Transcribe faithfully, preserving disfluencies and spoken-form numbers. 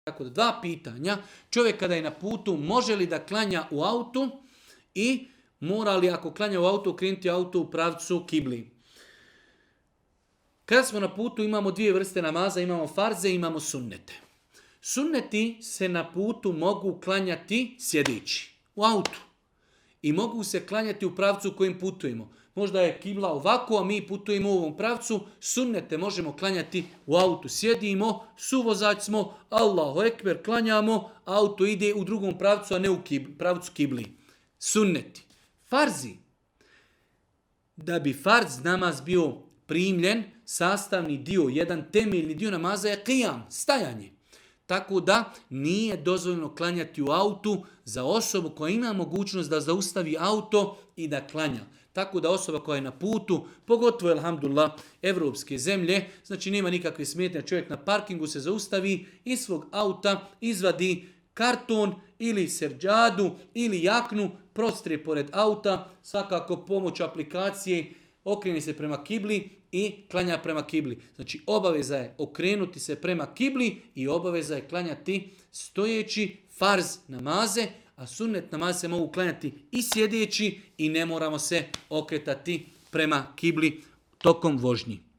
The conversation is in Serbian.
Tako da dva pitanja. Čovjek kada je na putu, može li da klanja u autu i mora li ako klanja u autu, okrenuti auto u pravcu kibli. Kada smo na putu imamo dvije vrste namaza, imamo farze i imamo sunnete. Sunneti se na putu mogu klanjati sjedeći u autu i mogu se klanjati u pravcu u kojim putujemo. Možda je kibla ovako, a mi putujemo u ovom pravcu. Sunnete možemo klanjati u autu. Sjedimo, suvozač smo, Allahu ekber, klanjamo, auto ide u drugom pravcu, a ne u kibli, pravcu kibli. Sunneti. Farzi. Da bi farz namaz bio primljen, sastavni dio, jedan temeljni dio namaza je qiyam, stajanje. Tako da nije dozvoljeno klanjati u autu za osobu koja ima mogućnost da zaustavi auto i da klanja. Tako da osoba koja je na putu, pogotovo, alhamdulillah, evropske zemlje, znači nema nikakve smetnje, čovjek na parkingu se zaustavi, iz svog auta izvadi karton ili serđadu ili jaknu, prostre pored auta, svakako pomoću aplikacije, okreni se prema kibli i klanja prema kibli. Znači obaveza je okrenuti se prema kibli i obaveza je klanjati stojeći farz namaze, a sunnet namaze se mogu klanjati i sjedeći i ne moramo se okretati prema kibli tokom vožnji.